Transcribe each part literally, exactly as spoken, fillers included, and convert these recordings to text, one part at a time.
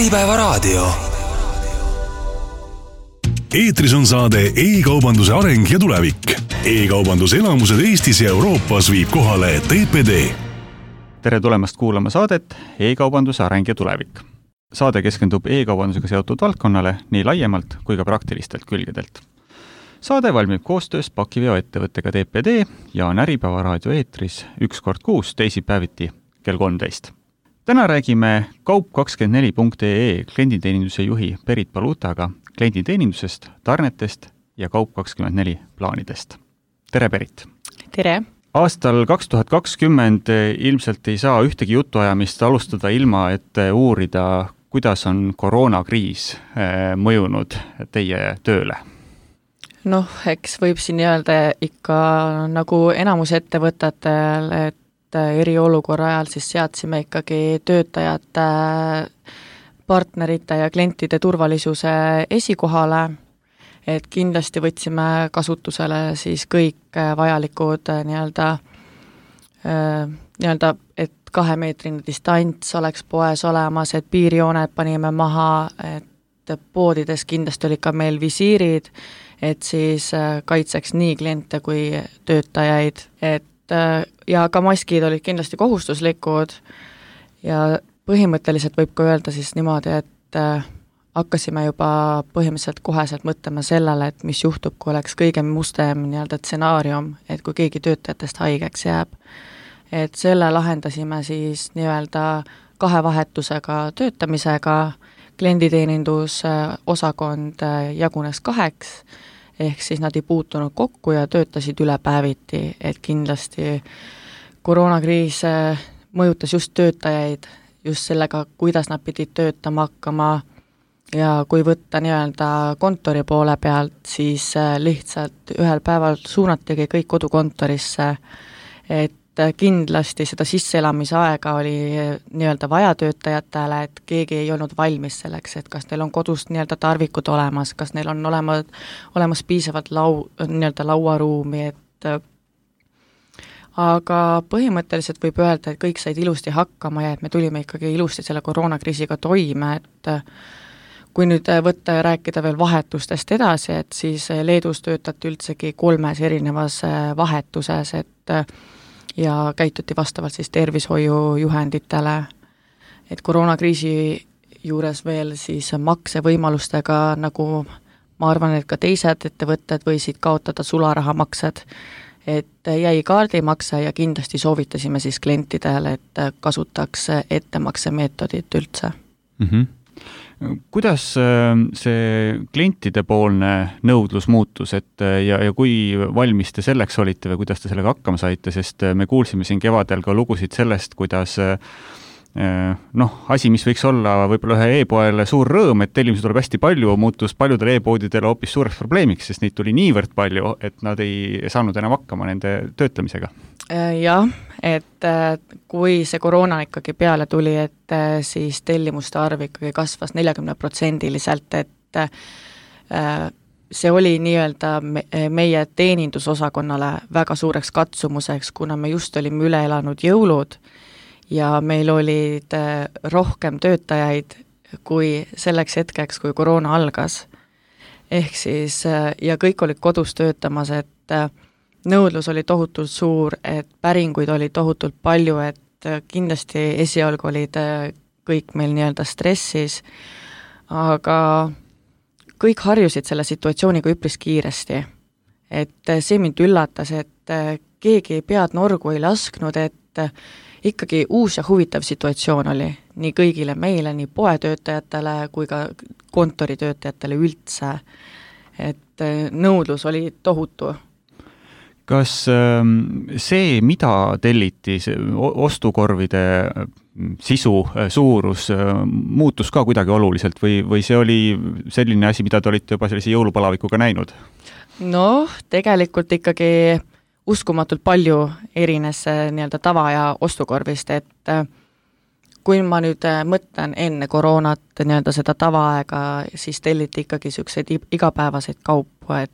Äripäevaraadio. Eetris on saade E-kaubanduse areng ja tulevik. E-kaubanduse elamused Eestis ja Euroopas viib kohale T P D. Tere tulemast kuulama saadet E-kaubanduse areng ja tulevik. Saade keskendub e-kaubandusega seotud valdkonnale nii laiemalt kui ka praktilistelt külgedelt. Saade valmib koostöös pakiveoettevõttega T P D ja on Äripäevaraadio eetris üks kord kuus teisipäeviti kell kolmteist. Täna räägime kaup kakskümmend neli punkt E E klienditeeninduse juhi Berit Palutaga klienditeenindusest, tarnetest ja kaup kakskümmend neli plaanidest. Tere, Berit! Tere! Aastal kaks tuhat kakskümmend ilmselt ei saa ühtegi jutuajamist alustada ilma, et uurida, kuidas on koroonakriis mõjunud teie tööle. Noh, eks võib siin öelda ikka nagu enamus ettevõtetel, et eriolukorra ajal siis seadsime ikkagi töötajate, partnerite ja klientide turvalisuse esikohale, et kindlasti võtsime kasutusele siis kõik vajalikud nii-öelda, nii-öelda, et kahemeetrine distants oleks poes olemas, et piirjooned panime maha, et poodides kindlasti oli ka meil visiirid, et siis kaitseks nii kliente kui töötajaid, et ja ka maskid olid kindlasti kohustuslikud ja põhimõtteliselt võib ka öelda siis niimoodi, et hakkasime juba põhimõtteliselt koheselt mõtlema sellele, et mis juhtub, kui oleks kõige mustem nii-öelda stsenaarium, et kui keegi töötajatest haigeks jääb. Et selle lahendasime siis nii-öelda kahe vahetusega töötamisega, klienditeenindus osakond jagunes kaheks, ehk siis nad ei puutunud kokku ja töötasid üle päeviti, et kindlasti koroonakriis mõjutas just töötajaid, just sellega, kuidas nad pidid töötama hakkama ja kui võtta nii-öelda kontori poole pealt, siis lihtsalt ühel päeval suunatigi kõik kodukontorisse, et kindlasti seda sisseelamise aega oli nii-öelda vaja töötajatele, et keegi ei olnud valmis selleks, et kas neil on kodus nii-öelda tarvikud olemas, kas neil on olemas, olemas piisavalt lau, nii-öelda lauaruumi, et aga põhimõtteliselt võib öelda, et kõik said ilusti hakkama ja et me tulime ikkagi ilusti selle koroonakriisiga toime, et kui nüüd võtta ja rääkida veel vahetustest edasi, et siis Leedus töötati üldsegi kolmes erinevas vahetuses, et ja käituti vastavalt siis tervishoiujuhenditele, et koroonakriisi juures veel siis maksevõimalustega, nagu ma arvan, et ka teised ettevõtted võisid kaotada sularahamaksed, et jäi kaardimakse ja kindlasti soovitasime siis klientidele, et kasutaks ettemaksemeetodit üldse. Mm-hmm. Kuidas see klientide poolne nõudlus muutus, et ja, ja kui valmis te selleks olite või kuidas te sellega hakkama saite, sest me kuulsime siin kevadel ka lugusid sellest, kuidas noh, asi, mis võiks olla võib-olla ühe e-poele suur rõõm, et tellimusi tuleb hästi palju, muutus paljudele e-poodidele hoopis suureks probleemiks, sest neid tuli niivõrd palju, et nad ei saanud enam hakkama nende töötlemisega. Jah, et kui see koroona ikkagi peale tuli, et siis tellimuste arv ikkagi kasvas neljakümne protsendiliselt, et see oli nii-öelda meie teenindusosakonnale väga suureks katsumuseks, kuna me just olime üle elanud jõulud ja meil olid rohkem töötajaid kui selleks hetkeks, kui koroona algas. Ehk siis, ja kõik olid kodus töötamas, et nõudlus oli tohutult suur, et päringuid oli tohutult palju, et kindlasti esialgu olid kõik meil nii-öelda stressis, aga kõik harjusid selle situatsiooniga üpris kiiresti. Et see mind üllatas, et keegi pead norgu ei lasknud, et ikkagi uus ja huvitav situatsioon oli nii kõigile meile, nii poetöötajatele kui ka kontoritöötajatele üldse, et nõudlus oli tohutu. Kas see, mida telliti, see ostukorvide sisu, suurus muutus ka kuidagi oluliselt või, või see oli selline asi, mida te olite juba sellise jõulupalavikuga näinud? Noh, tegelikult ikkagi uskumatult palju erines nii-öelda tava- ja ostukorvist, et kui ma nüüd mõtlen enne koroonat nii-öelda seda tavaaega, siis telliti ikkagi selliseid igapäevaseid kaupu, et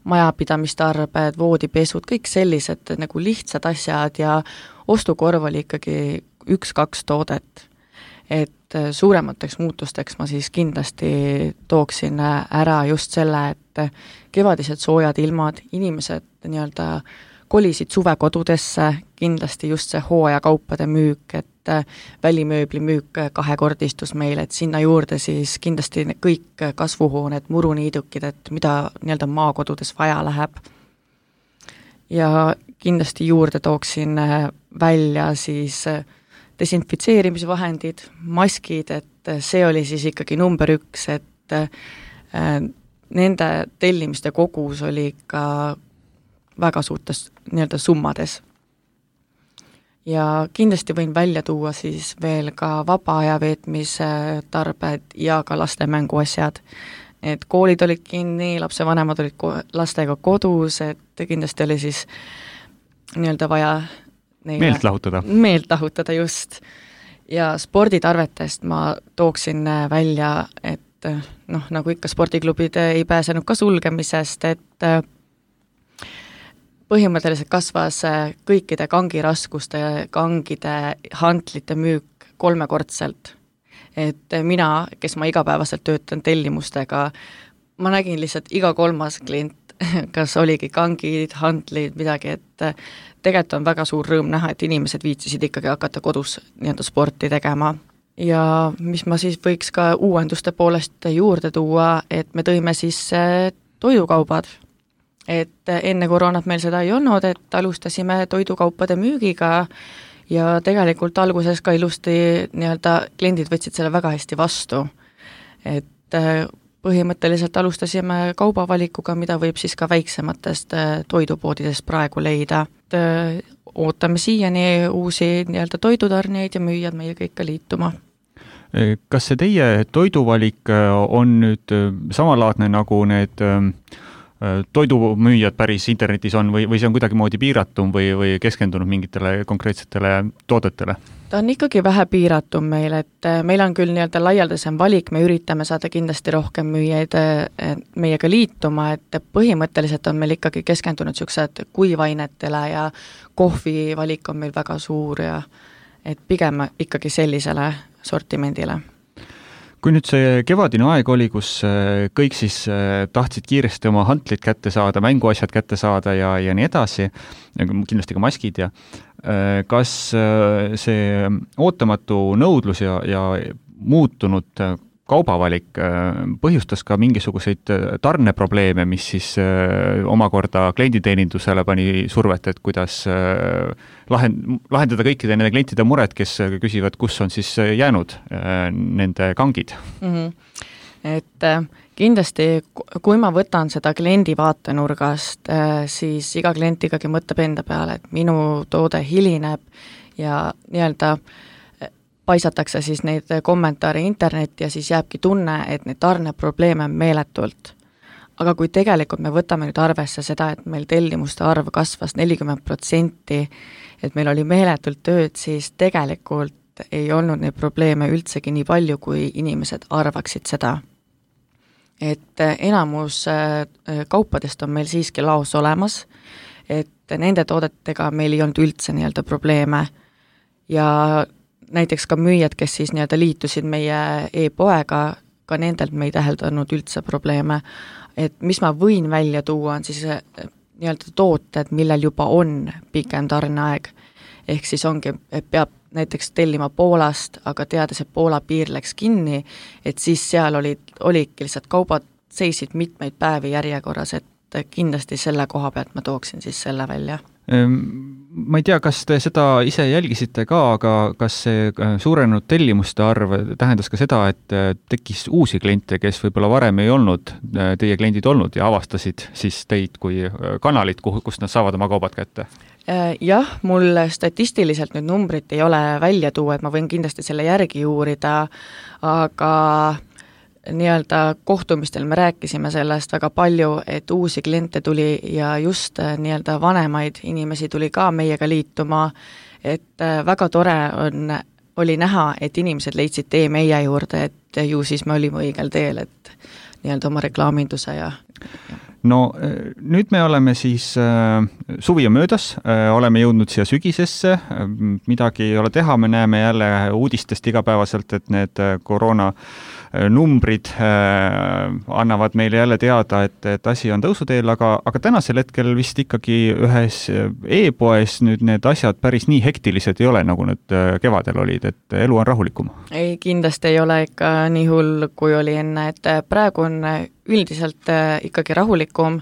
majapidamistarbed, voodipesud, kõik sellised nagu lihtsad asjad ja ostukorv oli ikkagi üks-kaks toodet. et suuremateks muutusteks ma siis kindlasti tooksin ära just selle, et kevadised soojad ilmad, inimesed nii-öelda kolisid suvekodudesse, kindlasti just see hooajakaupade müük, et välimööbli müük kahekordistus meil, et sinna juurde siis kindlasti kõik kasvuhooned, muruniidukid, et mida nii-öelda maakodudes vaja läheb. Ja kindlasti juurde tooksin välja siis desinfitseerimisvahendid, maskid, et see oli siis ikkagi number üks, et nende tellimiste kogus oli ikka väga suurtes nii-öelda summades. Ja kindlasti võin välja tuua siis veel ka vaba aja veetmise tarbed ja ka laste mänguasjad. Et koolid olid kinni, lapsevanemad olid ko- lastega kodus, et kindlasti oli siis nii-öelda vaja neile meelt lahutada. Meelt lahutada just. Ja sporditarvetest ma tooksin välja, et noh, nagu ikka spordiklubid ei pääsenud ka sulgemisest, et põhimõtteliselt kasvas kõikide kangiraskuste, kangide, hantlite müük kolmekordselt. Et mina, kes ma igapäevaselt töötan tellimustega, ma nägin lihtsalt iga kolmas klient, kas oligi kangid, hantlid, midagi, et tegelikult on väga suur rõõm näha, et inimesed viitsisid ikkagi hakata kodus nii-öelda sporti tegema. Ja mis ma siis võiks ka uuenduste poolest juurde tuua, et me tõime siis toidukaubad. Et enne koroonat meil seda ei olnud, et alustasime toidukaupade müügiga ja tegelikult alguses ka ilusti nii-öelda kliendid võtsid selle väga hästi vastu. Et põhimõtteliselt alustasime kaubavalikuga, mida võib siis ka väiksematest toidupoodidest praegu leida. Et ootame siiani uusi nii-öelda toidutarnijaid ja müüjad meiega ikka liituma. Kas see teie toiduvalik on nüüd samalaadne nagu need toidumüüjad päris internetis on või, või see on kuidagi moodi piiratum või, või keskendunud mingitele konkreetsetele toodetele? Ta on ikkagi vähe piiratum meil, et meil on küll nii-öelda laialdasem valik, me üritame saada kindlasti rohkem müüjaid meiega liituma, et põhimõtteliselt on meil ikkagi keskendunud niisugused kuivainetele ja kohvi valik on meil väga suur ja et pigem ikkagi sellisele sortimendile. Kui nüüd see kevadine aeg oli, kus kõik siis tahtsid kiiresti oma hantlid kätte saada, mänguasjad kätte saada ja, ja nii edasi, kindlasti ka maskid ja kas see ootamatu nõudlus ja, ja muutunud kaubavalik põhjustas ka mingisuguseid tarneprobleeme, mis siis omakorda klienditeenindusele pani survet, et kuidas lahendada kõikide nende klientide mured, kes küsivad, kus on siis jäänud nende kangid? Mm-hmm. Et kindlasti, kui ma võtan seda kliendi vaatenurgast, siis iga klient ikkagi mõtleb enda peale, et minu toode hilineb ja nii-öelda paisatakse siis neid kommentaare internetti ja siis jääbki tunne, et neid tarneprobleeme on meeletult. Aga kui tegelikult me võtame nüüd arvesse seda, et meil tellimuste arv kasvas nelikümmend protsenti, et meil oli meeletult tööd, siis tegelikult ei olnud neid probleeme üldsegi nii palju, kui inimesed arvaksid seda. Et enamus kaupadest on meil siiski laos olemas, et nende toodetega meil ei olnud üldse nii-öelda probleeme ja näiteks ka müüjad, kes siis nii-öelda liitusid meie e-poega, ka nendelt me ei täheldanud üldse probleeme. Et mis ma võin välja tuua, on siis nii-öelda tooted, millel juba on pikem tarneaeg. Ehk siis ongi, et peab näiteks tellima Poolast, aga teades, et Poola piir läks kinni, et siis seal olid, olidki lihtsalt kaubad seisid mitmeid päevi järjekorras, et kindlasti selle koha pealt ma tooksin siis selle välja. Ma ei tea, kas te seda ise jälgisite ka, aga kas see suurenenud tellimuste arv tähendas ka seda, et tekkis uusi kliente, kes võib-olla varem ei olnud teie kliendid olnud ja avastasid siis teid kui kanalit, kust nad saavad oma kaubad kätte? Jah, mul statistiliselt nüüd numbrit ei ole välja tuua, et ma võin kindlasti selle järgi uurida, aga nii-öelda kohtumistel me rääkisime sellest väga palju, et uusi kliente tuli ja just nii-öelda vanemaid inimesi tuli ka meiega liituma, et väga tore on, oli näha, et inimesed leidsid tee meie juurde, et et ju siis me olime õigel teel, et nii-öelda oma reklaaminduse ja, ja no nüüd me oleme siis äh, suvi on möödas äh,, oleme jõudnud siia sügisesse, midagi ei ole teha, me näeme jälle uudistest igapäevaselt, et need koroona numbrid äh, annavad meile jälle teada, et, et asi on tõusuteel, aga, aga tänasel hetkel vist ikkagi ühes e-poes nüüd need asjad päris nii hektilised ei ole, nagu need kevadel olid, et elu on rahulikum. Ei, kindlasti ei ole ikka nii hull, kui oli enne, et praegu on üldiselt ikkagi rahulikum,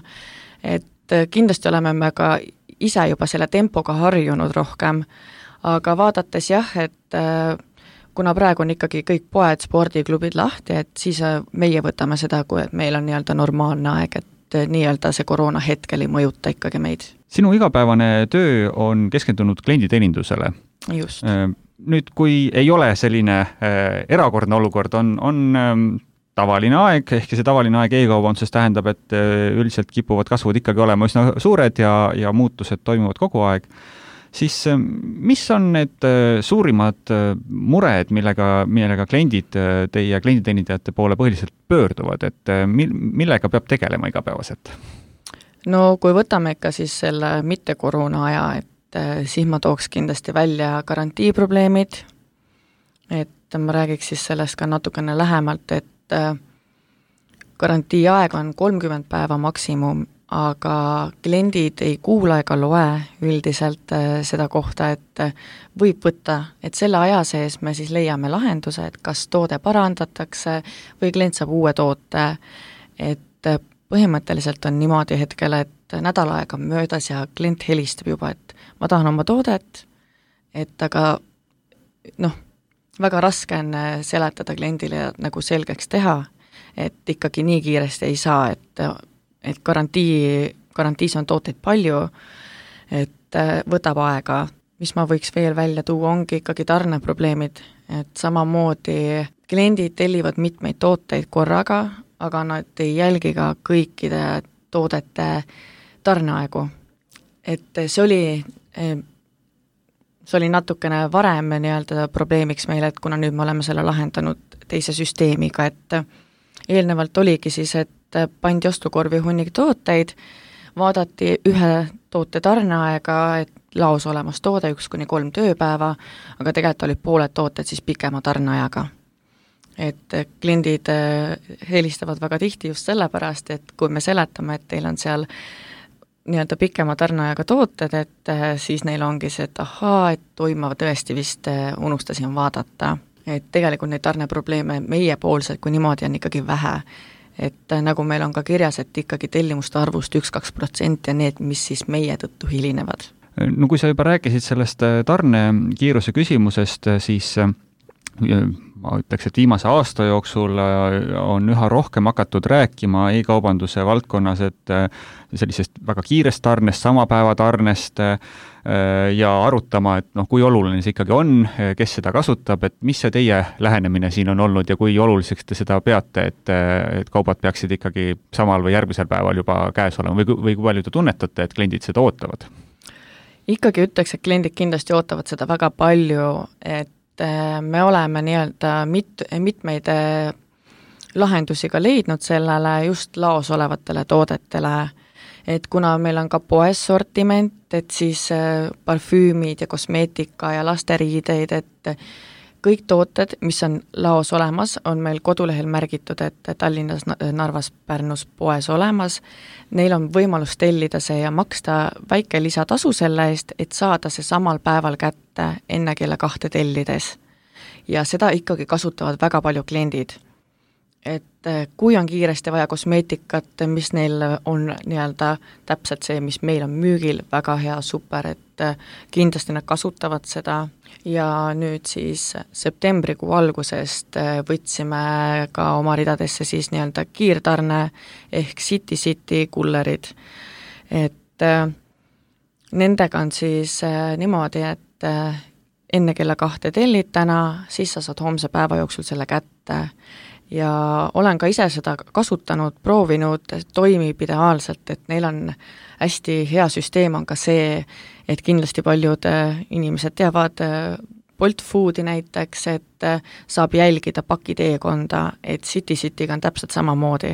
et kindlasti oleme me ka ise juba selle tempoga harjunud rohkem, aga vaadates jah, et kuna praegu on ikkagi kõik poed, spordiklubid lahti, et siis meie võtame seda, kui meil on nii-öelda normaalne aeg, et nii-öelda see koroona hetkel ei mõjuta ikkagi meid. Sinu igapäevane töö on keskendunud klienditeenindusele. Just. Nüüd, kui ei ole selline erakordne olukord, on, on tavaline aeg, ehk see tavaline aeg e-kaubanduses tähendab, et üldiselt kipuvad kasvud ikkagi olema üsna suured ja, ja muutused toimuvad kogu aeg, siis mis on need suurimad mured, millega, millega kliendid teie klienditeenindajate poole põhiliselt pöörduvad, et millega peab tegelema igapäevaselt? No kui võtame ikka siis selle mitte koroona aja, et siis ma tooks kindlasti välja garantiiprobleemid, et ma räägiks siis sellest ka natukene lähemalt, et garantii aeg on kolmkümmend päeva maksimum, aga kliendid ei kuula ega loe üldiselt seda kohta, et võib võtta, et selle aja sees me siis leiame lahenduse, et kas toode parandatakse või klient saab uue toote, et põhimõtteliselt on niimoodi hetkel, et nädal aega on möödas ja klient helistab juba, et ma tahan oma toodet, et aga noh, väga raske on seletada kliendile nagu selgeks teha, et ikkagi nii kiiresti ei saa, et et garantii, garantiis on tooteid palju, et võtab aega. Mis ma võiks veel välja tuua, ongi ikkagi tarneprobleemid, et samamoodi kliendid tellivad mitmeid tooteid korraga, aga nad ei jälgi ka kõikide toodete tarneaegu. Et see oli, see oli natukene varem nii-öelda probleemiks meile, et kuna nüüd me oleme selle lahendanud teise süsteemiga, et eelnevalt oligi siis, et pandi ostukorvi hunnik tooteid, vaadati ühe toote tarneaega, et laos olemas toode üks kuni kolm tööpäeva, aga tegelikult olid pooled tooted siis pikema tarneajaga. Et kliendid helistavad väga tihti just sellepärast, et kui me seletame, et teil on seal nii-öelda pikema tarneajaga tooted, et siis neil ongi see, et ahaa, et toima tõesti vist unustasin vaadata. Et tegelikult neid tarneprobleeme meie poolselt, kui niimoodi on ikkagi vähe, et nagu meil on ka kirjas, et ikkagi tellimuste arvust üks-kaks protsenti ja need, mis siis meie tõttu hilinevad. No kui sa juba rääkisid sellest tarnekiiruse küsimusest, siis ma ütleks, et viimase aasta jooksul on üha rohkem hakatud rääkima e-kaubanduse valdkonnas, et sellisest väga kiirest tarnest, sama päeva tarnest ja arutama, et noh, kui oluline see ikkagi on, kes seda kasutab, et mis see teie lähenemine siin on olnud ja kui oluliseks te seda peate, et, et kaubad peaksid ikkagi samal või järgmisel päeval juba käes olema või, või kui palju te tunnetate, et kliendid seda ootavad? Ikkagi ütleks, et kliendid kindlasti ootavad seda väga palju, et me oleme nii-öelda mit, mitmeid lahendusi ka leidnud sellele just laos olevatele toodetele, et kuna meil on ka poes sortiment, et siis parfüümid ja kosmeetika ja lasteriideid, et kõik tooted, mis on laos olemas, on meil kodulehel märgitud, et Tallinnas, Narvas, Pärnus poes olemas, neil on võimalus tellida see ja maksta väike lisatasu selle eest, et saada see samal päeval kätte enne kella kahte tellides. Ja seda ikkagi kasutavad väga palju kliendid. Et kui on kiiresti vaja kosmeetikat, mis neil on nii-öelda täpselt see, mis meil on müügil, väga hea, super, et kindlasti nad kasutavad seda ja nüüd siis septembrikuu algusest võtsime ka oma ridadesse siis nii-öelda kiirtarne ehk City City kullerid, et nendega on siis niimoodi, et enne kella kahte tellid täna, siis sa saad homse päeva jooksul selle kätte ja olen ka ise seda kasutanud, proovinud, toimib ideaalselt, et neil on hästi hea süsteem on ka see, et kindlasti paljud inimesed teavad Bolt Foodi näiteks, et saab jälgida pakiteekonda, et City Cityga on täpselt samamoodi,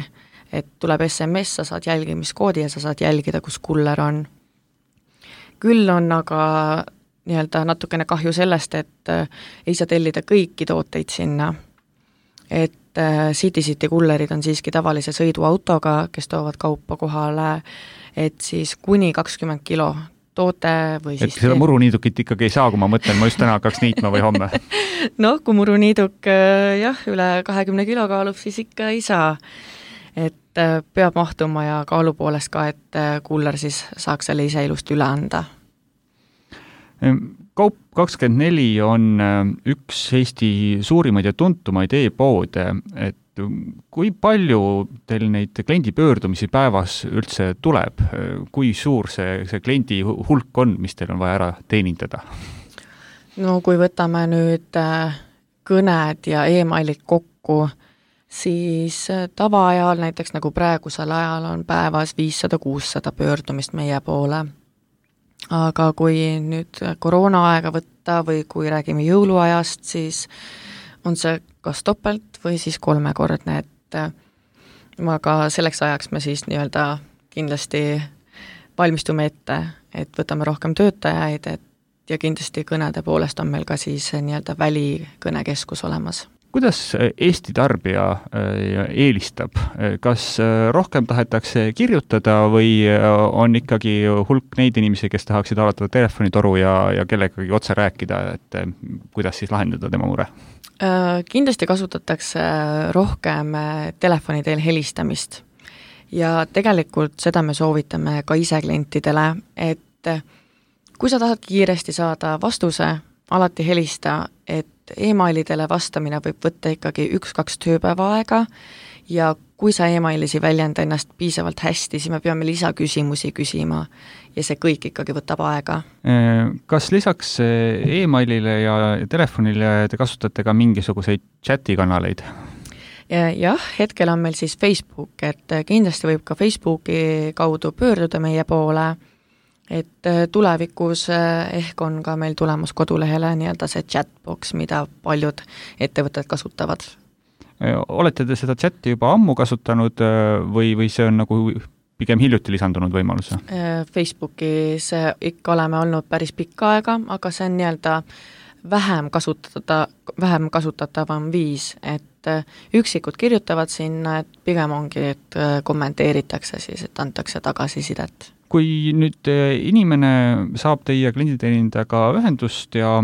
et tuleb S M S, sa saad jälgimiskoodi ja sa saad jälgida, kus kuller on. Küll on aga nii-öelda natukene kahju sellest, et ei saa tellida kõiki tooteid sinna, et City City kullerid on siiski tavalise sõiduautoga, kes toovad kaupa kohale, et siis kuni kakskümmend kilo toote või siis... Et seda muruniidukit ikkagi ei saa, kui ma mõtlen, ma just täna hakkaks niitma või homme. noh, kui muruniiduk jah, üle kahekümne kilo kaalub, siis ikka ei saa. Et peab mahtuma ja kaalu poolest ka, et kuller siis saaks selle ise ilusti üle anda. Kaup kakskümmend neli on üks Eesti suurimaid ja tuntumaid e-poode, et kui palju teil neid kliendi pöördumisi päevas üldse tuleb? Kui suur see, see kliendi hulk on, mis teil on vaja ära teenindada? No kui võtame nüüd kõned ja e-mailid kokku, siis tavaajal, näiteks nagu praegusel ajal on päevas viissada kuussada pöördumist meie poole. Aga kui nüüd koroona aega võtta või kui räägime jõuluajast, siis on see kas topelt või siis kolmekordne, et aga selleks ajaks me siis nii-öelda kindlasti valmistume ette, et võtame rohkem töötajaid, et ja kindlasti kõnede poolest on meil ka siis nii-öelda välikõnekeskus olemas. Kuidas Eesti tarbija eelistab? Kas rohkem tahetakse kirjutada või on ikkagi hulk neid inimesi, kes tahaksid avatada telefonitoru ja, ja kellegagi otse rääkida, et kuidas siis lahendada tema mure? Kindlasti kasutatakse rohkem telefoni teel helistamist ja tegelikult seda me soovitame ka ise klientidele, et kui sa tahad kiiresti saada vastuse, alati helista, et e-mailidele vastamine võib võtta ikkagi üks-kaks tööpäeva aega ja kui sa e-mailisi väljenda ennast piisavalt hästi, siis me peame lisaküsimusi küsima ja see kõik ikkagi võtab aega. Kas lisaks e-mailile ja telefonile te kasutate ka mingisuguseid chatikanaleid? Jah, hetkel on meil siis Facebook, et kindlasti võib ka Facebooki kaudu pöörduda meie poole, et tulevikus ehk on ka meil tulemas kodulehele nii-öelda see chatbox, mida paljud ettevõtted kasutavad. Olete te seda chati juba ammu kasutanud või, või see on nagu pigem hiljuti lisandunud võimalus? Facebookis ikka oleme olnud päris pikka aega, aga see on nii-öelda vähem kasutada, vähem kasutatavam viis, et üksikud kirjutavad sinna, et pigem ongi, et kommenteeritakse siis, et antakse tagasisidet. Kui nüüd inimene saab teie klienditeenindajaga ühendust ja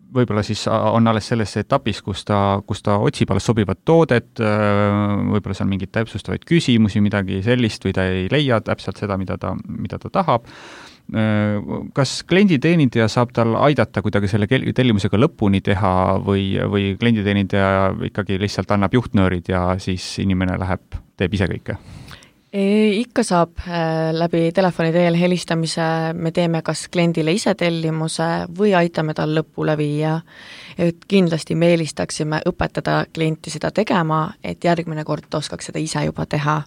võib-olla siis on alles selles etapis, kus ta, kus ta otsib alles sobivat toodet, võib-olla seal mingid täpsustavaid küsimusi, midagi sellist või ta ei leia täpselt seda, mida ta, mida ta tahab. Kas klienditeenindaja saab tal aidata kuidagi selle tellimusega lõpuni teha või, või klienditeenindaja ikkagi lihtsalt annab juhtnöörid ja siis inimene läheb, teeb ise kõike? Ikka saab läbi telefoni teel helistamise, me teeme kas kliendile ise tellimuse või aitame tal lõpule viia, et kindlasti me eelistaksime õpetada klienti seda tegema, et järgmine kord oskaks seda ise juba teha.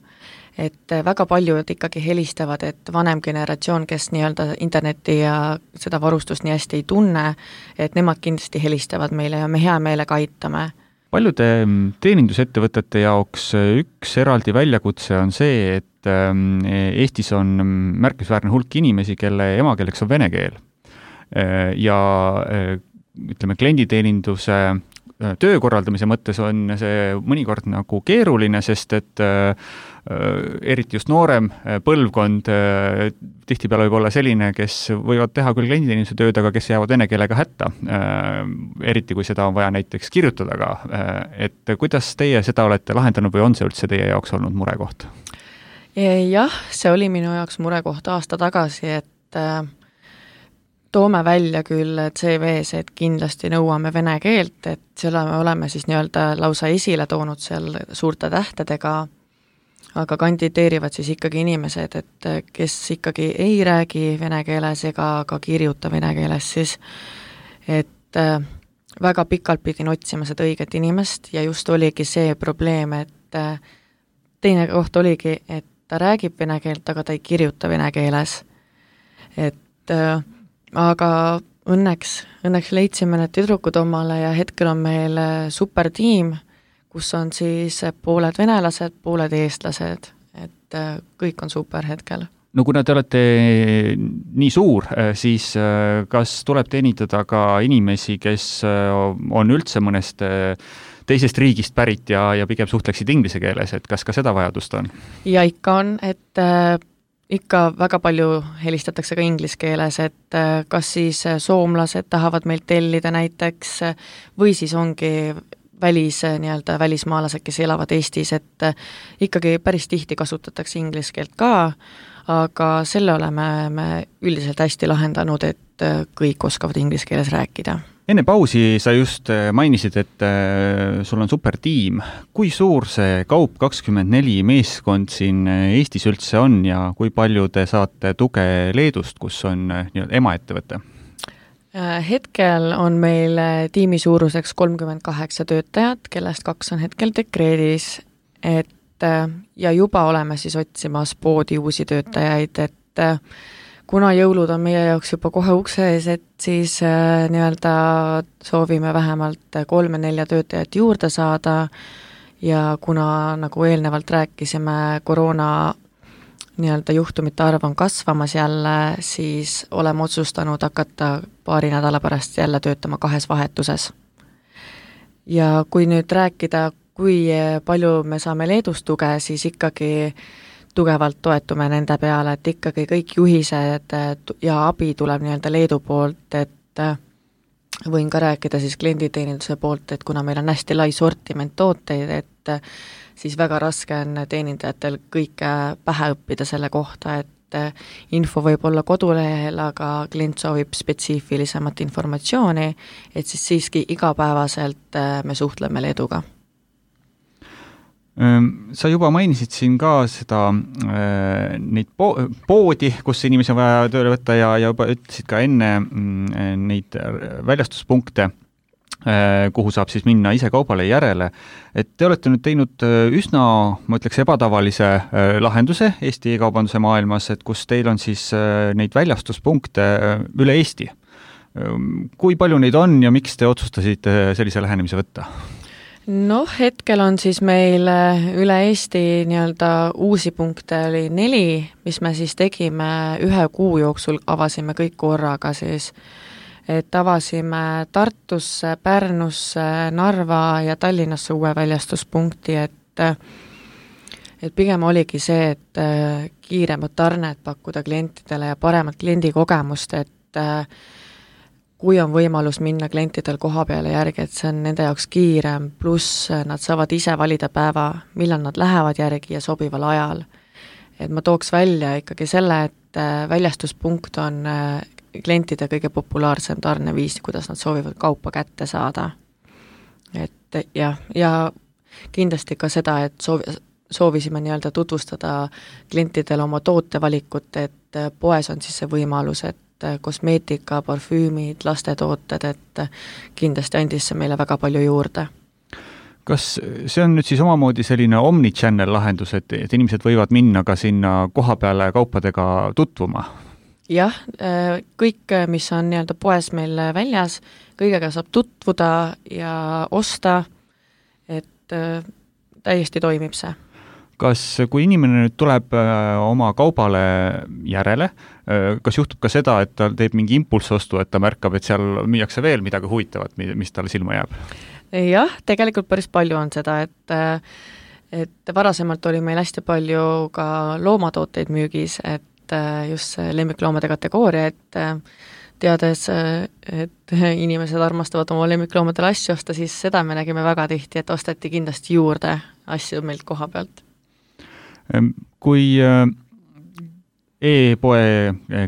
Et väga paljud ikkagi helistavad, et vanem generatsioon, kes nii-öelda interneti ja seda varustust nii hästi ei tunne, et nemad kindlasti helistavad meile ja me hea meelega aitame. Paljude teenindusettevõtete jaoks üks eraldi väljakutse on see, et Eestis on märkisväärne hulk inimesi, kelle emakeeleks on vene keel. Ja ütleme, klienditeeninduse töö korraldamise mõttes on see mõnikord nagu keeruline, sest et eriti just noorem põlvkond tihtipeale võib olla selline, kes võivad teha küll klienditeeninduse tööd, aga kes jäävad vene keelega hätta. Eriti kui seda on vaja näiteks kirjutada ka. Et kuidas teie seda olete lahendanud või on see üldse teie jaoks olnud murekoht? Jah, see oli minu jaoks murekoht aasta tagasi, et toome välja küll C V-s, et kindlasti nõuame vene keelt, et selle me oleme siis nii-öelda lausa esile toonud seal suurte tähtedega, aga kandideerivad siis ikkagi inimesed, et kes ikkagi ei räägi vene keeles ega ka kirjuta vene keeles siis, et väga pikalt pidin otsima seda õiget inimest ja just oligi see probleem, et teine koht oligi, et ta räägib vene keelt, aga ta ei kirjuta vene keeles. Et aga õnneks, õnneks leidsime need tüdrukud omale ja hetkel on meil supertiim, kus on siis pooled venelased, pooled eestlased, et kõik on super hetkel. No kuna te olete nii suur, siis kas tuleb teenindada ka inimesi, kes on üldse mõnest teisest riigist pärit ja, ja pigem suhtleksid inglise keeles, et kas ka seda vajadust on? Ja ikka on, et äh, ikka väga palju helistatakse ka inglise keeles, et äh, kas siis soomlased tahavad meilt tellida näiteks või siis ongi välis, nii-öelda välismaalased, kes elavad Eestis, et äh, ikkagi päris tihti kasutatakse inglise keelt ka, aga selle oleme me üldiselt hästi lahendanud, et äh, kõik oskavad inglise keeles rääkida. Enne pausi sa just mainisid, et sul on supertiim. Kui suur see Kaup kakskümmend neli meeskond siin Eestis üldse on ja kui palju te saate tuge Leedust, kus on nii-öelda emaettevõte? Hetkel on meil tiimi suuruseks kolmkümmend kaheksa töötajat, kellest kaks on hetkel dekreedis, et ja juba oleme siis otsimas poodi uusi töötajaid, et kuna jõulud on meie jaoks juba kohe ukse ees, et siis äh, nii-öelda soovime vähemalt kolme-nelja töötajat juurde saada ja kuna, nagu eelnevalt rääkisime, koroona nii-öelda juhtumite arv on kasvamas jälle, siis oleme otsustanud hakata paari nädala pärast jälle töötama kahes vahetuses. Ja kui nüüd rääkida, kui palju me saame Leedust tuge, siis ikkagi tugevalt toetume nende peale, et ikkagi kõik juhised ja abi tuleb nii-öelda Leedu poolt, et võin ka rääkida siis klienditeeninduse poolt, et kuna meil on hästi lai sortiment tooteid, et siis väga raske on teenindajatel kõike pähe õppida selle kohta, et info võib olla kodulehel, aga klient soovib spetsiifilisemat informatsiooni, et siis siiski igapäevaselt me suhtleme Leeduga. Sa juba mainisid siin ka seda äh, neid po- poodi, kus inimesi on vaja tööle võtta ja, ja juba ütlesid ka enne äh, neid väljastuspunkte, äh, kuhu saab siis minna ise kaubale järele. Et te olete nüüd teinud üsna, ma ütleks, ebatavalise äh, lahenduse Eesti e-kaubanduse maailmas, et kus teil on siis äh, neid väljastuspunkte äh, üle Eesti. Kui palju neid on ja miks te otsustasite sellise lähenemise võtta? Noh, hetkel on siis meil üle Eesti nii-öelda uusi punkte oli neli, mis me siis tegime ühe kuu jooksul, avasime kõik korraga siis, et avasime Tartusse, Pärnusse, Narva ja Tallinnasse uue väljastuspunkti, et et pigem oligi see, et kiiremad tarned pakkuda klientidele ja paremat kliendikogemust, et kui on võimalus minna klientidel koha peale järgi, et see on nende jaoks kiirem, pluss nad saavad ise valida päeva, millal nad lähevad järgi ja sobival ajal. Et ma tooks välja ikkagi selle, et väljastuspunkt on klientide kõige populaarsem tarneviis, kuidas nad soovivad kaupa kätte saada. Et jah, ja kindlasti ka seda, et soovi, soovisime nii-öelda tutvustada klientidele oma tootevalikut, et poes on siis see võimalus, et kosmeetika, parfüümid, lastetooted, et kindlasti andis see meile väga palju juurde. Kas see on nüüd siis omamoodi selline omnichannel lahendus, et, et inimesed võivad minna ka sinna koha peale kaupadega tutvuma? Jah, kõik, mis on nii-öelda poes meil väljas, kõigega saab tutvuda ja osta, et täiesti toimib see. Kas, kui inimene nüüd tuleb oma kaubale järele, kas juhtub ka seda, et ta teeb mingi impulsostu, et ta märkab, et seal müüakse veel midagi huvitavat, mis talle silma jääb? Jah, tegelikult päris palju on seda, et, et varasemalt oli meil hästi palju ka loomatooteid müügis, et just lemmikloomade kategooria, et teades, et inimesed armastavad oma lemmikloomadele asju osta, siis seda me nägime väga tihti, et osteti kindlasti juurde asju meilt koha pealt. Kui e-poe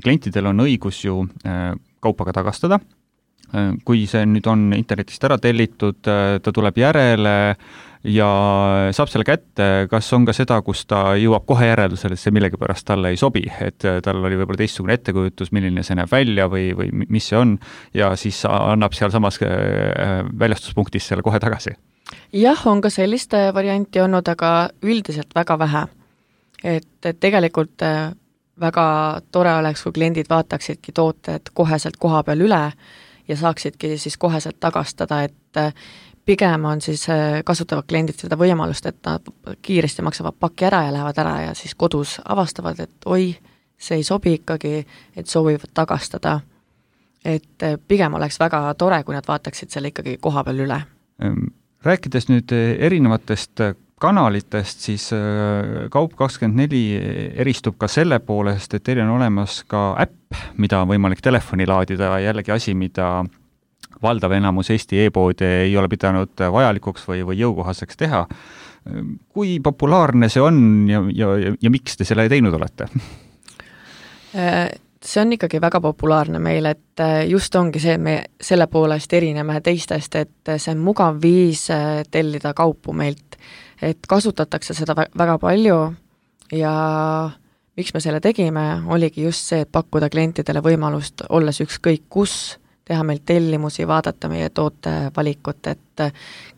klientidel on õigus ju kaupa ka tagastada, kui see nüüd on internetist ära tellitud, ta tuleb järele ja saab selle kätte, kas on ka seda, kus ta jõuab kohe järeldusele, et see millegipärast talle ei sobi, et tal oli võib-olla teistsugune ettekujutus, milline see näeb välja või, või mis see on, ja siis annab seal samas väljastuspunktis selle kohe tagasi? Jah, on ka sellist varianti olnud, aga üldiselt väga vähe. Et, et tegelikult väga tore oleks, kui kliendid vaataksidki tooted koheselt koha peal üle ja saaksidki siis koheselt tagastada, et pigem on siis, kasutavad kliendid seda võimalust, et nad kiiresti maksavad paki ära ja lähevad ära ja siis kodus avastavad, et oi, see ei sobi ikkagi, et soovivad tagastada. Et pigem oleks väga tore, kui nad vaataksid selle ikkagi koha peal üle. Rääkides nüüd erinevatest kanalitest, siis Kaup kakskümmend neli eristub ka selle poolest, et teil on olemas ka äpp, mida on võimalik telefoni laadida, jällegi asi, mida valdav enamus Eesti e-poode ei ole pidanud vajalikuks või, või jõukohaseks teha. Kui populaarne see on ja, ja, ja miks te selle teinud olete? See on ikkagi väga populaarne meil, et just ongi see, me selle poolest erineme teistest, et see on mugav viis tellida kaupu meilt, et kasutatakse seda väga palju ja miks me selle tegime, oligi just see, et pakkuda klientidele võimalust olles ükskõik kus, teha meil tellimusi, vaadata meie tootevalikut, et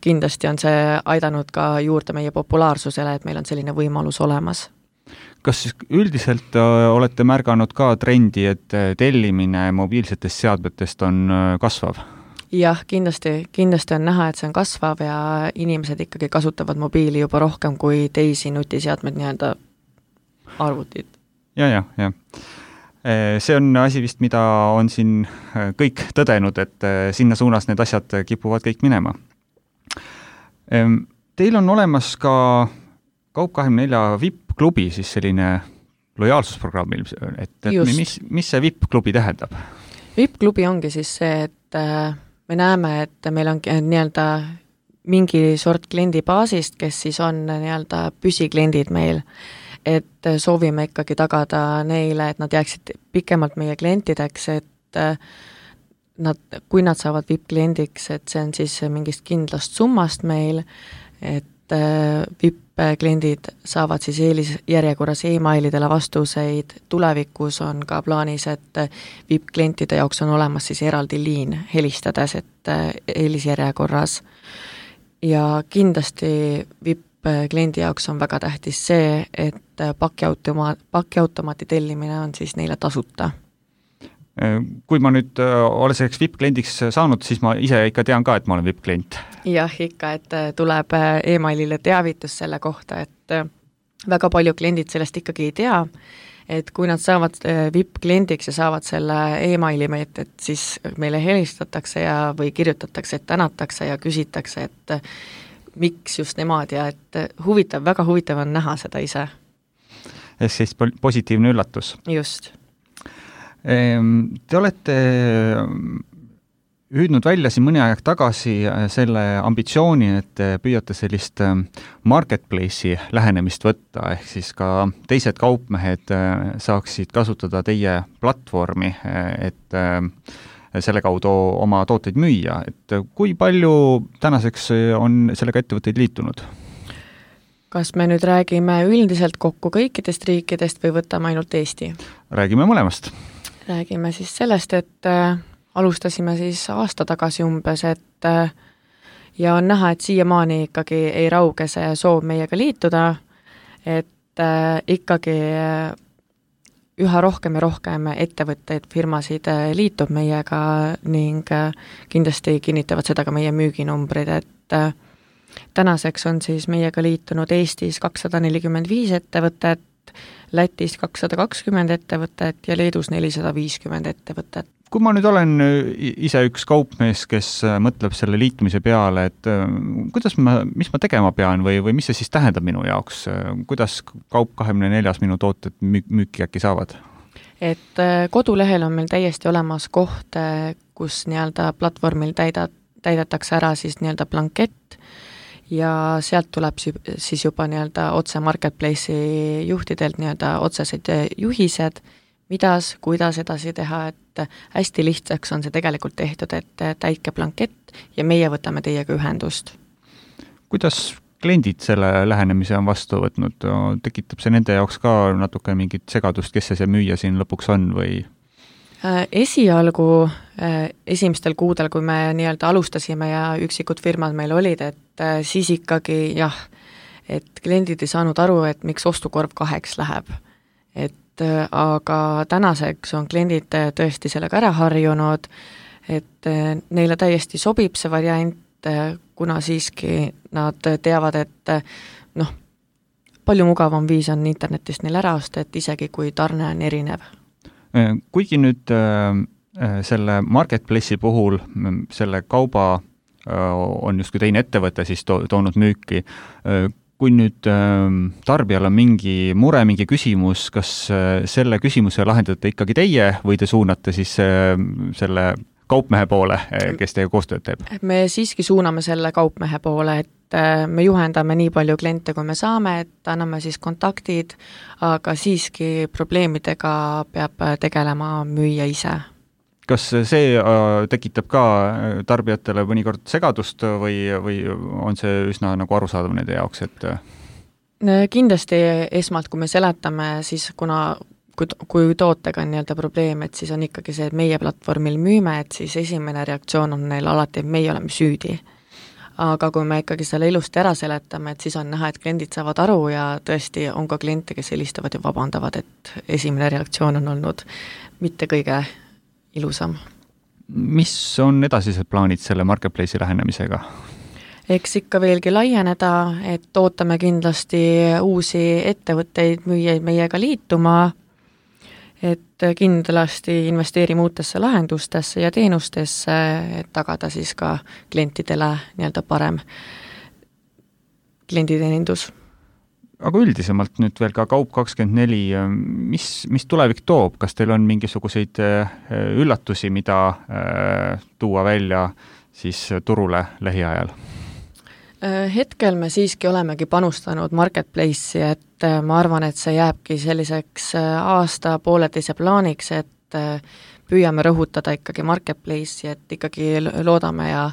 kindlasti on see aidanud ka juurde meie populaarsusele, et meil on selline võimalus olemas. Kas üldiselt olete märganud ka trendi, et tellimine mobiilsetest seadmetest on kasvav? Jah, kindlasti, kindlasti on näha, et see on kasvav ja inimesed ikkagi kasutavad mobiili juba rohkem kui teisi nutiseadmed nii-öelda arvutid. Ja, ja, ja. See on asi vist, mida on siin kõik tõdenud, et sinna suunas need asjad kipuvad kõik minema. Teil on olemas ka Kaup kakskümmend neli V I P-klubi, siis selline lojaalsusprogramm, et, et mis, mis see V I P-klubi tähendab? V I P-klubi ongi siis see, et me näeme, et meil on nii-öelda mingi sort kliendibaasist, kes siis on nii-öelda püsikliendid meil, et soovime ikkagi tagada neile, et nad jääksid pikemalt meie klientideks, et nad, kui nad saavad V I P-kliendiks, et see on siis mingist kindlast summast meil, et V I P-kliendid saavad siis eelisjärjekorras e-mailidele vastuseid, tulevikus on ka plaanis, et V I P-klientide jaoks on olemas siis eraldi liin helistades, et eelisjärjekorras. Ja kindlasti V I P-kliendi jaoks on väga tähtis see, et pakiautomaat, pakiautomaati tellimine on siis neile tasuta. Kui ma nüüd olen selleks V I P-kliendiks saanud, siis ma ise ikka tean ka, et ma olen V I P-klient. Jah, ikka, et tuleb e-mailile teavitus selle kohta, et väga palju kliendid sellest ikkagi ei tea, et kui nad saavad V I P-kliendiks ja saavad selle e-maili meilt, et siis meile helistatakse ja või kirjutatakse, et tänatakse ja küsitakse, et miks just nemad ja et huvitav, väga huvitav on näha seda ise. Ehk siis positiivne üllatus. Just. Te olete hüüdnud välja siin mõni aeg tagasi selle ambitsiooni, et püüate sellist marketplace'i lähenemist võtta, ehk siis ka teised kaupmehed saaksid kasutada teie platvormi, et selle kaudu oma tooteid müüa. Et kui palju tänaseks on sellega ettevõtteid liitunud? Kas me nüüd räägime üldiselt kokku kõikidest riikidest või võtame ainult Eesti? Räägime mõlemast. Räägime siis sellest, et äh, alustasime siis aasta tagasi umbes, et äh, ja on näha, et siiamaani ikkagi ei rauge see soov meiega liituda, et äh, ikkagi äh, üha rohkem ja rohkem ettevõtteid, firmasid äh, liitub meiega ning äh, kindlasti kinnitavad seda ka meie müüginumbrid, et äh, tänaseks on siis meiega liitunud Eestis kakssada nelikümmend viis ettevõtet, Lätis kakssada kakskümmend ettevõtet ja Leedus nelisada viiskümmend ettevõtet. Kui ma nüüd olen ise üks kaupmees, kes mõtleb selle liitumise peale, et kuidas ma, mis ma tegema pean või, või mis see siis tähendab minu jaoks? Kuidas Kaup kakskümmend neli minu tooted müüki äkki saavad? Et kodulehel on meil täiesti olemas koht, kus nii-öelda platvormil täida, täidetakse ära siis nii-öelda blankett, ja sealt tuleb siis juba nii-öelda otse marketplace'i juhtidelt nii-öelda otsesed juhised, midas, kuidas edasi teha, et hästi lihtsaks on see tegelikult tehtud, et täitke blankett ja meie võtame teiega ühendust. Kuidas kliendid selle lähenemise on vastu võtnud? Tekitab see nende jaoks ka natuke mingit segadust, kes see see müüja siin lõpuks on või? Esialgu esimestel kuudel, kui me nii-öelda alustasime ja üksikud firmad meil olid, et siis ikkagi jah, et kliendid ei saanud aru, et miks ostukorv kaheks läheb. Et aga tänaseks on kliendid tõesti sellega ära harjunud, et neile täiesti sobib see variant, kuna siiski nad teavad, et noh, palju mugavam viis on internetist neil ära osta, et isegi kui tarne on erinev. Kuigi nüüd selle marketplace'i puhul selle kauba on justkui teine ettevõte siis to- toonud müüki, kui nüüd tarbijal on mingi mure, mingi küsimus, kas selle küsimuse lahendate ikkagi teie või te suunate siis selle kaupmehe poole, kes teie koostööd teeb? Me siiski suuname selle kaupmehe poole, et me juhendame nii palju kliente, kui me saame, et anname siis kontaktid, aga siiski probleemidega peab tegelema müüja ise. Kas see tekitab ka tarbijatele mõnikord segadust või, või on see üsna nagu arusaadav nende jaoks, et kindlasti esmalt, kui me seletame, siis kuna kui, kui tootega on nii-öelda probleem, et siis on ikkagi see, et meie platvormil müüme, et siis esimene reaktsioon on neil alati, et meie oleme süüdi. Aga kui me ikkagi selle ilusti ära seletame, et siis on näha, et kliendid saavad aru ja tõesti on ka kliente, kes helistavad ja vabandavad, et esimene reaktsioon on olnud mitte kõige ilusam. Mis on edasised plaanid selle marketplace'i lähenemisega? Eks ikka veelgi laieneda, et ootame kindlasti uusi ettevõtteid, müüjaid meiega liituma, et kindlasti investeerime uutesse lahendustesse ja teenustesse, et tagada siis ka klientidele nii-öelda parem klienditeenindus. Aga üldisemalt nüüd veel ka Kaup kakskümmend neli, mis, mis tulevik toob? Kas teil on mingisuguseid üllatusi, mida tuua välja siis turule lähiajal? Hetkel me siiski olemegi panustanud marketplace'i, et ma arvan, et see jääbki selliseks aasta pooleteise plaaniks, et püüame rõhutada ikkagi marketplace'i, et ikkagi loodame ja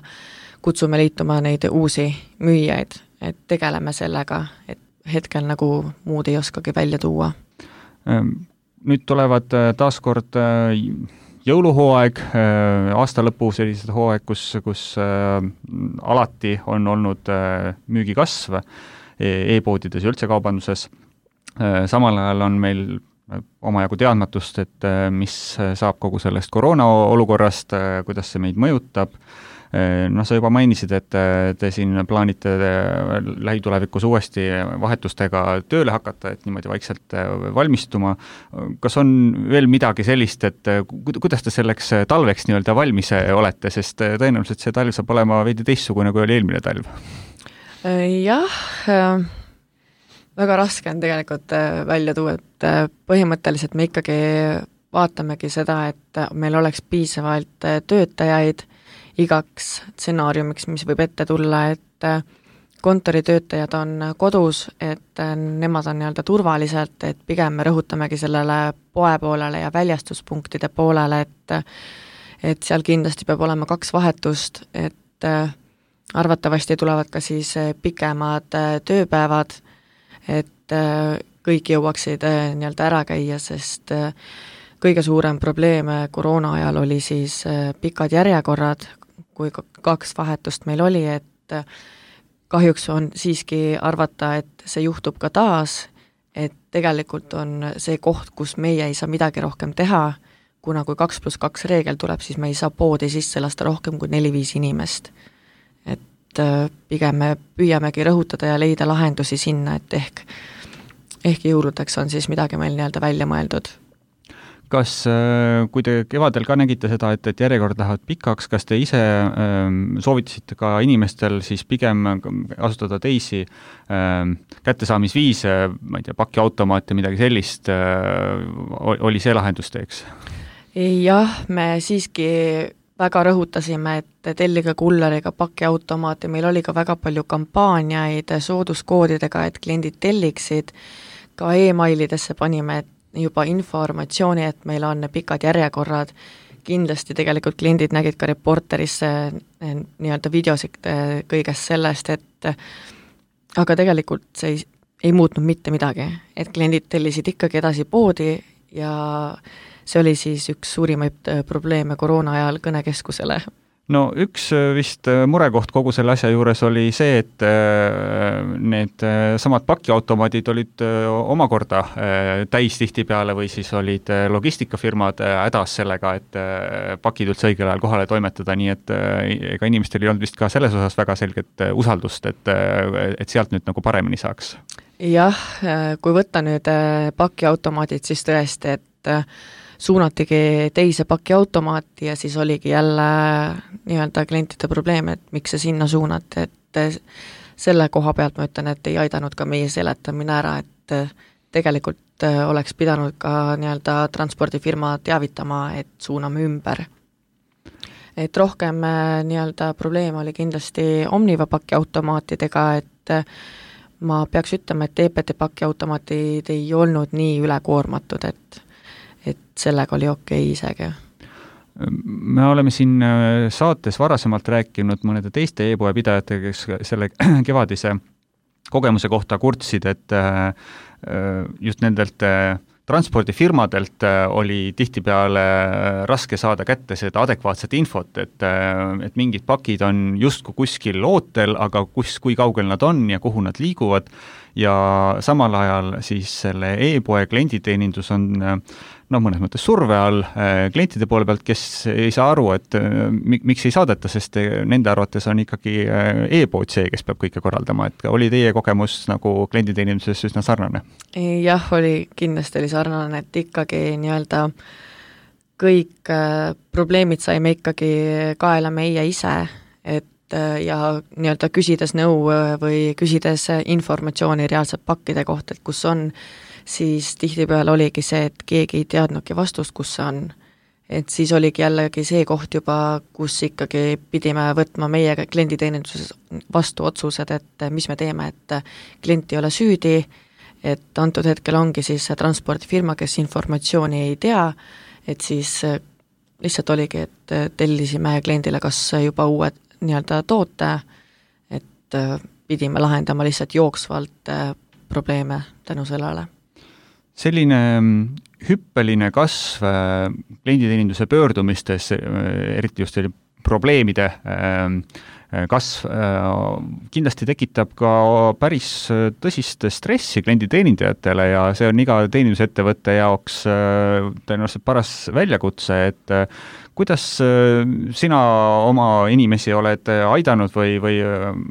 kutsume liituma neid uusi müüjaid, et tegeleme sellega, et hetkel nagu muud ei oskagi välja tuua. Nüüd tulevad taaskord jõuluhooaeg, aasta lõpu sellised hooaeg, kus, kus alati on olnud müügikasv e-poodides ja üldse kaubanduses. Samal ajal on meil omajagu teadmatust, et mis saab kogu sellest koroona olukorrast, kuidas see meid mõjutab. No sa juba mainisid, et te siin plaanite lähitulevikus uuesti vahetustega tööle hakata, et niimoodi vaikselt valmistuma. Kas on veel midagi sellist, et kuidas te selleks talveks nii-öelda valmis olete, sest tõenäoliselt see talv saab olema veidi teistsugune, kui oli eelmine talv? Jah, väga raske on tegelikult välja tuua, et põhimõtteliselt me ikkagi vaatamegi seda, et meil oleks piisavalt töötajaid igaks stsenaariumiks, mis võib ette tulla, et kontoritöötajad on kodus, et nemad on nii-öelda turvaliselt, et pigem me rõhutamegi sellele poe poolele ja väljastuspunktide poolele, et et seal kindlasti peab olema kaks vahetust, et arvatavasti tulevad ka siis pikemad tööpäevad, et kõik jõuaksid nii-öelda ära käia, sest kõige suurem probleem koroona ajal oli siis pikad järjekorrad, kui kaks vahetust meil oli, et kahjuks on siiski arvata, et see juhtub ka taas, et tegelikult on see koht, kus meie ei saa midagi rohkem teha, kuna kui kaks pluss kaks reegel tuleb, siis me ei saa poodi sisse lasta rohkem kui neli-viis inimest. Et pigem me püüamegi rõhutada ja leida lahendusi sinna, et ehk, ehk jõuludeks on siis midagi meil nii-öelda välja mõeldud. Kas, kui te kevadel ka nägite seda, et, et järjekord lähevad pikaks, kas te ise ähm, soovitasite ka inimestel siis pigem asutada teisi ähm, kättesaamisviise, ma ei tea, pakiautomaat ja midagi sellist, äh, oli see lahendusteeks? Jah, me siiski väga rõhutasime, et tellige kulleriga pakiautomaat ja meil oli ka väga palju kampaaniaid sooduskoodidega, et kliendid telliksid, ka e-mailidesse panime, et juba informatsiooni, et meil on pikad järjekorrad, kindlasti tegelikult kliendid nägid ka reporterisse nii-öelda videosid kõigest sellest, et aga tegelikult see ei, ei muutnud mitte midagi, et kliendid tellisid ikkagi edasi poodi ja see oli siis üks suurimaid probleeme koroona ajal kõnekeskusele. no üks vist murekoht kogu selle asja juures oli see, et need samad pakiautomaadid olid omakorda täis tihtipeale või siis olid logistikafirmad hädas sellega, et pakid üldse õigel ajal kohale toimetada, nii et ega inimestel ei olnud vist ka selles osas väga selget usaldust, et, et sealt nüüd nagu paremini saaks. Jah, kui võtta nüüd pakiautomaadid, siis tõesti, et suunatigi teise pakiautomaati ja siis oligi jälle nii-öelda klientide probleem, et miks see sinna suunati, et selle koha pealt ma ütlen, et ei aidanud ka meie seletamine ära, et tegelikult oleks pidanud ka nii-öelda transpordifirma teavitama, et suuname ümber. Et rohkem nii-öelda probleem oli kindlasti Omniva pakiautomaatidega, et ma peaks ütlema, et T P T pakiautomaatid ei olnud nii ülekoormatud, et et sellega oli okei isegi. Me oleme siin saates varasemalt rääkinud mõnede teiste e-poe pidajatega, kes selle kevadise kogemuse kohta kurtsid, et just nendelt transpordifirmadelt oli tihtipeale raske saada kätte seda adekvaatset infot, et, et mingid pakid on justkui kuskil ootel, aga kus, kui kaugel nad on ja kuhu nad liiguvad ja samal ajal siis selle e-poe klienditeenindus on noh, mõnes mõttes surve all klientide poole pealt, kes ei saa aru, et miks ei saadeta, sest nende arvates on ikkagi e-pood see, kes peab kõike korraldama, et oli teie kogemus nagu klienditeeninduses üsna sarnane? Jah, oli, kindlasti oli sarnane, et ikkagi nii-öelda kõik probleemid saime ikkagi kaela meie ise, et ja nii-öelda küsides nõu või küsides informatsiooni reaalselt pakkide kohta, et kus on, siis tihtipeale oligi see, et keegi ei teadnudki vastust, kus see on. Et siis oligi jällegi see koht juba, kus ikkagi pidime võtma meie klienditeeninduses vastu otsused, et mis me teeme, et klient ei ole süüdi, et antud hetkel ongi siis transpordifirma, kes informatsiooni ei tea, et siis lihtsalt oligi, et tellisime kliendile kas juba uued nii-öelda toote, et pidime lahendama lihtsalt jooksvalt probleeme tänu sellele. Selline hüppeline kasv klienditeeninduse pöördumistes, eriti just probleemide kasv, kindlasti tekitab ka päris tõsist stressi klienditeenindajatele ja see on iga teenindusettevõtte jaoks tõenäoliselt paras väljakutse, et kuidas sina oma inimesi oled aidanud või, või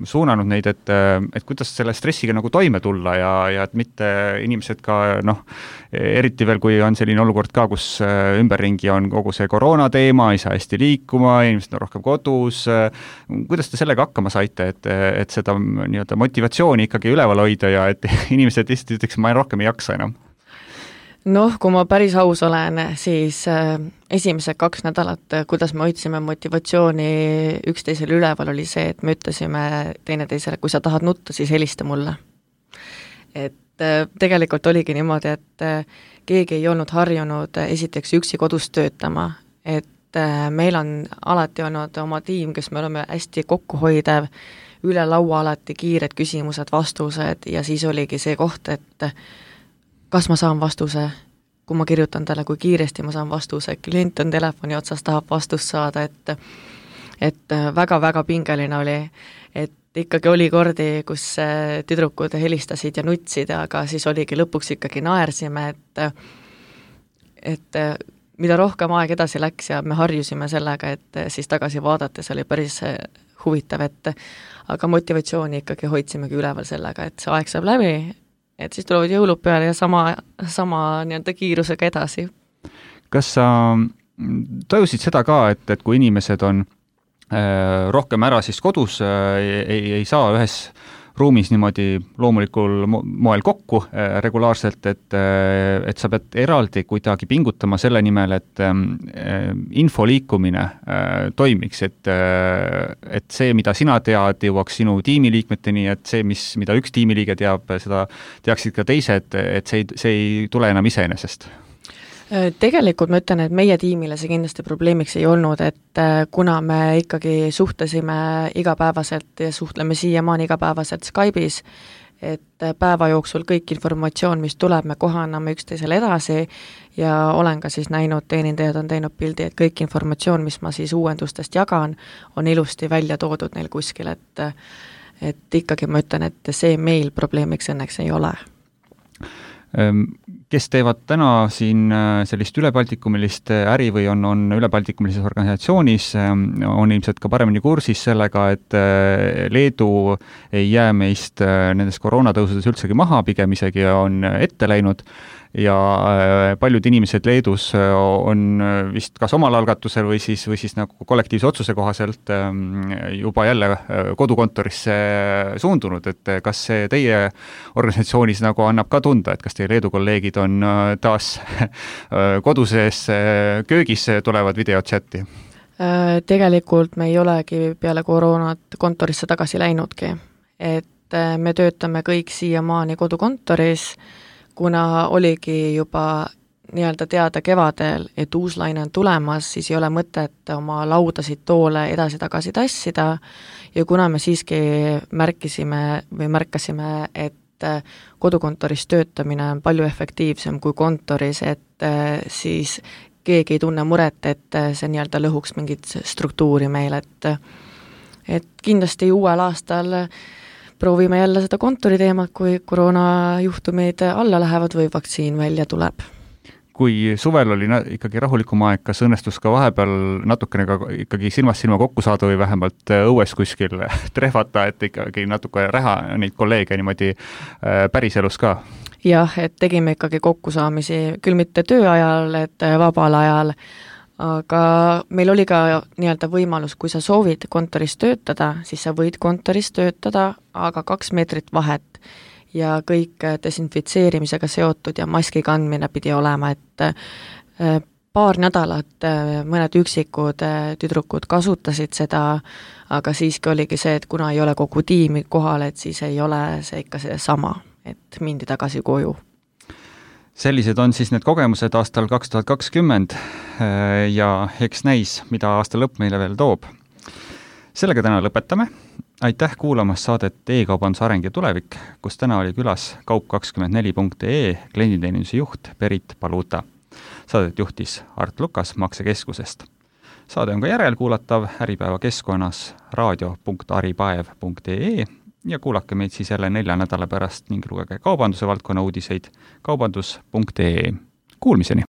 suunanud neid, et, et kuidas selle stressiga nagu toime tulla ja, ja et mitte inimesed ka, noh, eriti veel, kui on selline olukord ka, kus ümberringi on kogu see koroona teema, ei saa hästi liikuma, inimesed on rohkem kodus, kuidas te sellega hakkama saite, et, et seda nii-öelda motivatsiooni ikkagi üleval hoida ja et inimesed lihtsalt ütleks, ma rohkem ei jaksa enam? Noh, kui ma päris aus olen, siis esimesed kaks nädalat, kuidas me hoidsime motivatsiooni üksteisele üleval, oli see, et me ütlesime teineteisele, kui sa tahad nutta, siis helista mulle. Et tegelikult oligi niimoodi, et keegi ei olnud harjunud esiteks üksi kodus töötama, et meil on alati olnud oma tiim, kes me oleme hästi kokkuhoidev, üle laua alati kiired küsimused, vastused ja siis oligi see koht, et kas ma saan vastuse, kui ma kirjutan talle, kui kiiresti ma saan vastuse, klient on telefoni otsas, tahab vastust saada, et et väga-väga pingeline oli, et ikkagi oli kordi, kus tüdrukud helistasid ja nutsid, aga siis oligi lõpuks ikkagi naersime, et et mida rohkem aeg edasi läks ja me harjusime sellega, et siis tagasi vaadates oli päris huvitav, et aga motivatsiooni ikkagi hoidsimegi üleval sellega, et see aeg saab läbi, et siis tulevad jõulud peale ja sama, sama nii-öelda kiirusega edasi. Kas sa tajusid seda ka, et, et kui inimesed on äh, rohkem ära siis kodus, äh, ei, ei saa ühes ruumis niimoodi loomulikul moel kokku äh, regulaarselt, et, äh, et sa pead eraldi kuidagi pingutama selle nimel, et äh, info liikumine äh, toimiks, et, äh, et see, mida sina tead, jõuaks sinu tiimiliikmeteni, et see, mis, mida üks tiimiliige teab, seda teaksid ka teised, et see ei, see ei tule enam iseenesest. Tegelikult ma ütlen, et meie tiimile see kindlasti probleemiks ei olnud, et kuna me ikkagi suhtlesime igapäevaselt ja suhtleme siiamaani igapäevaselt Skype'is, et päeva jooksul kõik informatsioon, mis tuleb, me kohe anname üksteisele edasi ja olen ka siis näinud, teenindajad on teinud pildi, et kõik informatsioon, mis ma siis uuendustest jagan, on ilusti välja toodud neil kuskil, et et ikkagi ma ütlen, et see meil probleemiks õnneks ei ole. Kes teevad täna siin sellist ülebaltikumilist äri või on, on ülebaltikumilises organisatsioonis, on ilmselt ka paremini kursis sellega, et Leedu ei jää meist nendest koroonatõusudes üldsegi maha, pigem isegi on ette läinud ja paljud inimesed Leedus on vist kas omal algatusel või siis, või siis nagu kollektiivse otsuse kohaselt juba jälle kodukontorisse suundunud, et kas see teie organisatsioonis nagu annab ka tunda, et kas teie Leedu kolleegid on taas koduses köögis tulevad videochati? Tegelikult me ei olegi peale koroonat kontorisse tagasi läinudki, et me töötame kõik siiamaani kodukontoris, kuna oligi juba nii-öelda teada kevadel, et uus laine on tulemas, siis ei ole mõtet oma laudasid toole edasi-tagasi tassida ja kuna me siiski märkisime või märkasime, et kodukontoris töötamine on palju efektiivsem kui kontoris, et siis keegi ei tunne muret, et see nii-öelda lõhuks mingit struktuuri meil, et et kindlasti uuel aastal proovime jälle seda kontori teemat, kui koroonajuhtumid alla lähevad või vaktsiin välja tuleb. Kui suvel oli na- ikkagi rahulikum aeg, kas õnnestus ka vahepeal natukene ka ikkagi silmast silma kokku saada või vähemalt õues kuskil trehvata, et ikkagi natuke räha neid kolleege niimoodi päriselus ka? Jah, et tegime ikkagi kokkusaamisi, küll mitte töö ajal, et vabal ajal, aga meil oli ka nii-öelda võimalus, kui sa soovid kontoris töötada, siis sa võid kontoris töötada, aga kaks meetrit vahet ja kõik desinfitseerimisega seotud ja maski kandmine pidi olema, et paar nädalat mõned üksikud tüdrukud kasutasid seda, aga siiski oligi see, et kuna ei ole kogu tiimi kohal, et siis ei ole see ikka see sama, et mindi tagasi koju. Sellised on siis need kogemused aastal kaks tuhat kakskümmend ja eks näis, mida aasta lõpp meile veel toob. Sellega täna lõpetame. Aitäh kuulamas saadet E-kaubanduse areng ja tulevik, kus täna oli külas kaup kakskümmend neli punkt ee klienditeeninduse juht Berit Paluta. Saadet juhtis Art Lukas Maksekeskusest. Saade on ka järelkuulatav Äripäeva keskkonnas raadio punkt aripaev punkt ee ja kuulake meid siis jälle nelja nädala pärast ning lugege kaubanduse valdkonna uudiseid kaubandus punkt ee. Kuulmiseni!